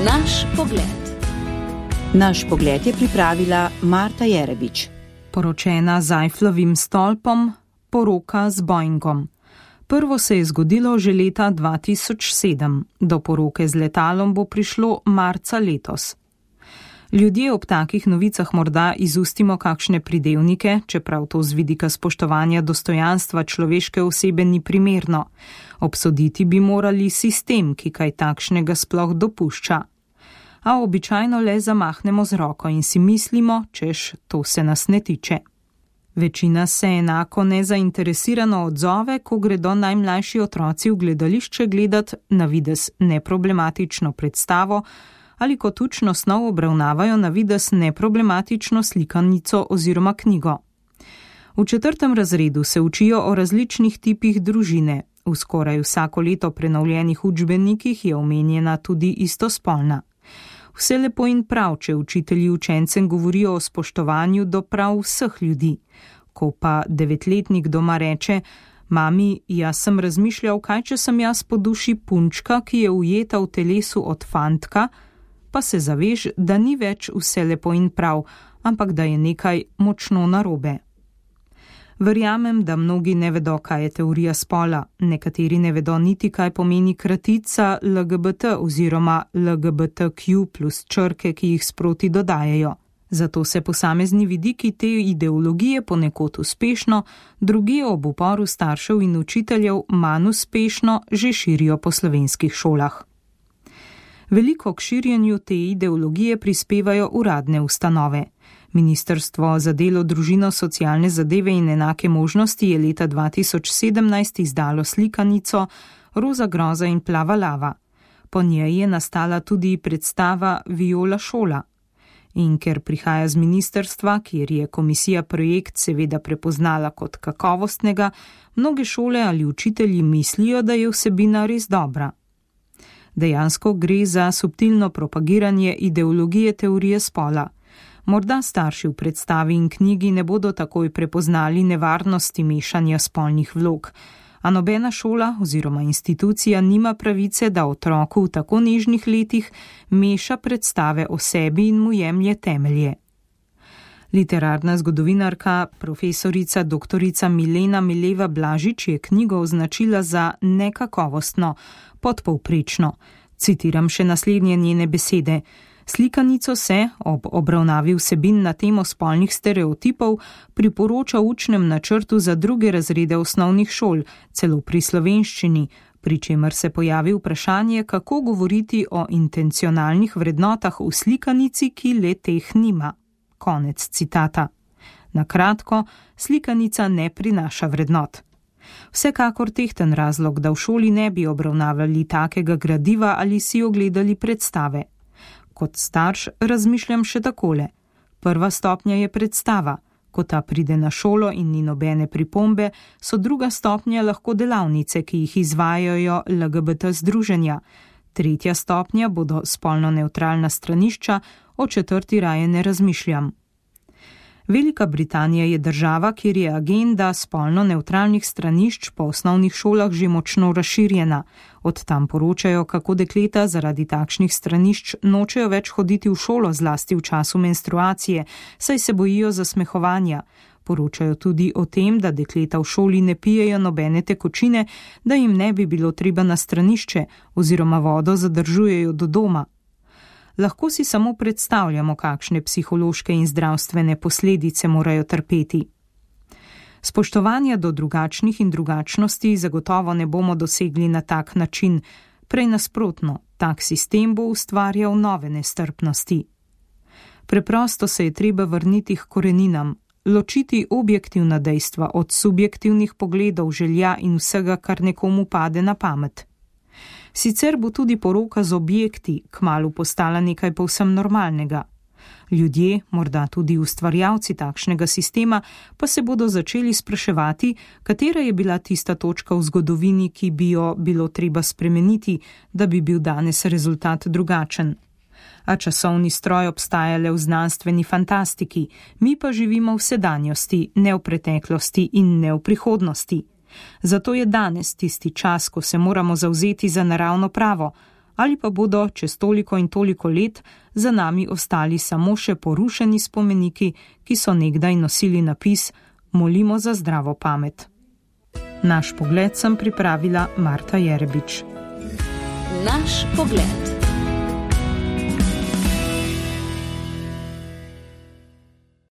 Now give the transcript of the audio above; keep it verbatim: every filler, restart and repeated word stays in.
Naš pogled. Naš pogled je pripravila Marta Jerebič. Poročena z Eifflovim stolpom, poroka z Boeingom. Prvo se je zgodilo že leta dva tisoč sedem, do poroke z letalom bo prišlo marca letos. Ljudje ob takih novicah morda izustimo kakšne pridevnike, čeprav to z vidika spoštovanja dostojanstva človeške osebe ni primerno. Obsoditi bi morali sistem, ki kaj takšnega sploh dopušča. A običajno le zamahnemo z roko in si mislimo, češ, to se nas ne tiče. Večina se enako nezainteresirano odzove, ko gredo najmlajši otroci v gledališče gledat na videz neproblematično predstavo ali kot učno snov obravnavajo na videz neproblematično slikanico oziroma knjigo. V četrtem razredu se učijo o različnih tipih družine. V skoraj vsako leto prenovljenih učbenikih je omenjena tudi istospolna. Vse lepo in prav, če učitelji učencem govorijo o spoštovanju do prav vseh ljudi. Ko pa devetletnik doma reče: mami, jaz sem razmišljal, kaj če sem jaz po duši punčka, ki je ujeta v telesu od fantka, pa se zaveš, da ni več vse lepo in prav, ampak da je nekaj močno narobe. Verjamem, da mnogi ne vedo, kaj je teorija spola, nekateri ne vedo niti, kaj pomeni kratica L G B T oziroma L G B T Q plus črke, ki jih sproti dodajajo. Zato se posamezni vidiki te ideologije ponekod uspešno, drugi ob uporu staršev in učiteljev manj uspešno že širijo po slovenskih šolah. Veliko k širjenju te ideologije prispevajo uradne ustanove. Ministrstvo za delo, družino, socialne zadeve in enake možnosti je leta dva tisoč sedemnajst izdalo slikanico Roza groza in plava lava. Po njej je nastala tudi predstava Viola šola. In ker prihaja z ministrstva, kjer je komisija projekt seveda prepoznala kot kakovostnega, mnoge šole ali učitelji mislijo, da je vsebina res dobra. Dejansko gre za subtilno propagiranje ideologije teorije spola. Morda starši v predstavi in knjigi ne bodo takoj prepoznali nevarnosti mešanja spolnih vlog, a nobena šola oziroma institucija nima pravice, da otroku v tako nežnih letih meša predstave o sebi in mu jemlje temelje. Literarna zgodovinarka, profesorica doktorica Milena Mileva Blažič je knjigo označila za nekakovostno, podpovprečno. Citiram še naslednje njene besede. Slikanico se, ob obravnavi vsebin na temo spolnih stereotipov, priporoča v učnem načrtu za druge razrede osnovnih šol, celo pri slovenščini, pri čemer se pojavi vprašanje, kako govoriti o intencionalnih vrednotah v slikanici, ki le teh nima. Konec citata. Na kratko, slikanica ne prinaša vrednot. Vsekakor tehten razlog, da v šoli ne bi obravnavali takega gradiva ali si ogledali predstave. Kot starš razmišljam še takole. Prva stopnja je predstava. Ko ta pride na šolo in ni nobene pripombe, so druga stopnja lahko delavnice, ki jih izvajajo L G B T združenja. Tretja stopnja bodo spolno nevtralna stranišča, o četrti raje ne razmišljam. Velika Britanija je država, kjer je agenda spolno nevtralnih stranišč po osnovnih šolah že močno razširjena. Od tam poročajo, kako dekleta zaradi takšnih stranišč nočejo več hoditi v šolo, zlasti v času menstruacije, saj se bojijo zasmehovanja. Poročajo tudi o tem, da dekleta v šoli ne pijejo nobene tekočine, da jim ne bi bilo treba na stranišče oziroma vodo zadržujejo do doma. Lahko si samo predstavljamo, kakšne psihološke in zdravstvene posledice morajo trpeti. Spoštovanja do drugačnih in drugačnosti zagotovo ne bomo dosegli na tak način, prej nasprotno, tak sistem bo ustvarjal nove nestrpnosti. Preprosto se je treba vrniti k koreninam, ločiti objektivna dejstva od subjektivnih pogledov, želja in vsega, kar nekomu pade na pamet. Sicer bo tudi poroka z objekti kmalu postala nekaj povsem normalnega. Ljudje, morda tudi ustvarjalci takšnega sistema, pa se bodo začeli spraševati, katera je bila tista točka v zgodovini, ki bi jo bilo treba spremeniti, da bi bil danes rezultat drugačen. A časovni stroj obstaja le v znanstveni fantastiki, mi pa živimo v sedanjosti, ne v preteklosti in ne v prihodnosti. Zato je danes tisti čas, ko se moramo zavzeti za naravno pravo, ali pa bodo čez toliko in toliko let za nami ostali samo še porušeni spomeniki, ki so nekdaj nosili napis Molimo za zdravo pamet. Naš pogled sem pripravila Marta Jerebič. Naš pogled.